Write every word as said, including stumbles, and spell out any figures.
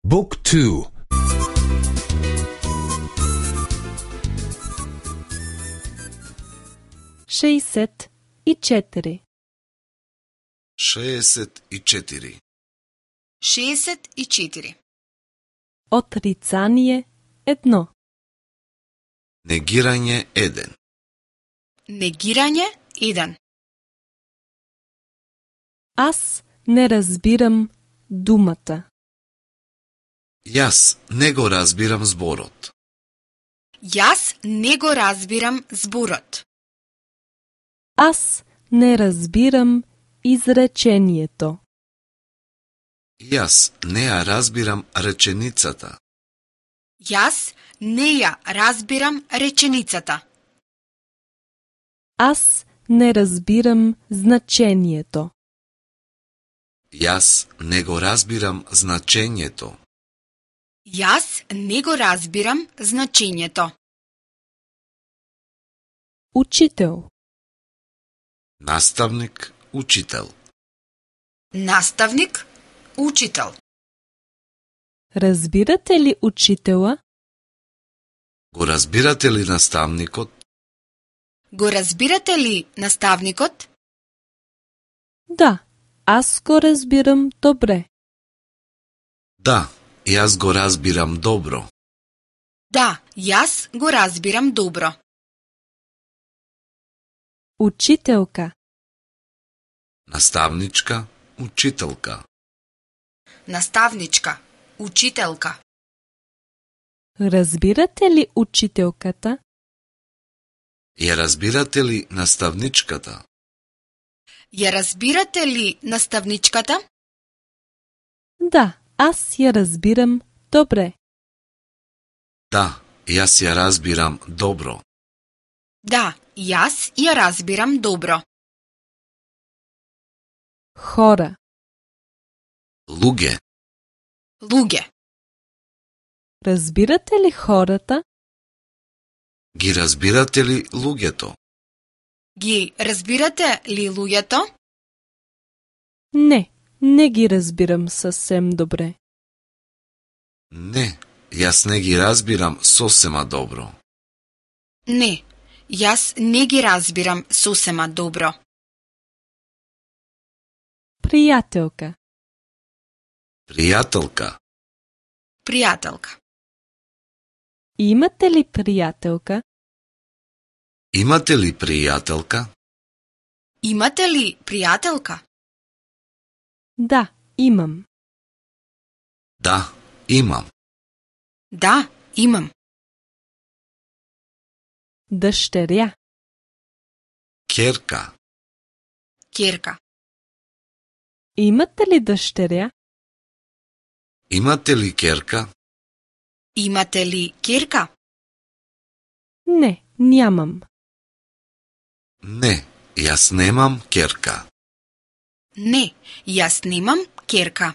Book two. шеесет и четири. шеесет и четири. шеесет и четири. Отрицание едно. Негирање еден. Негирање еден. Аз не разбирам думата. Јас не го разбирам зборот. Јас не го разбирам зборот. Аз не разбирам изречението. Јас не ја разбирам реченицата. Јас не ја разбирам реченицата. Аз не разбирам значението. Јас не го разбирам значењето. Јас не го разбирам значењето. Учител. Наставник, учител. Наставник, учител. Разбирате ли учителя? Го разбирате ли наставникот? Го разбирате ли наставникот? Да, аз го разбирам добре. Да, јас го разбирам добро. Да, јас го разбирам добро. Учителка. Наставничка, учителка. Наставничка, учителка. Разбирате ли учителката? Ја разбирате ли наставничката? Ја разбирате ли наставничката? Да, аз ја разбирам добре. Да, јас ја разбирам добро. Да, јас ја разбирам добро. Хора. Луѓе. Луѓе. Разбирате ли хората? Ги разбирате ли луѓето? Ги разбирате ли луѓето? Не, не ги разбирам съвсем добре. Не, јас не ги разбирам сосема добро. Не, јас не ги разбирам сосема добро. Пријателка. Пријателка. Пријателка. Имате ли пријателка? Имате ли пријателка? Имате ли пријателка? Да, имам. Да, имам. Да, имам. Дъщеря. Ќерка. Ќерка. Имате ли дъщеря? Имате ли ќерка? Имате ли ќерка? Не, нямам. Не, јас немам ќерка. Не, јас немам ќерка.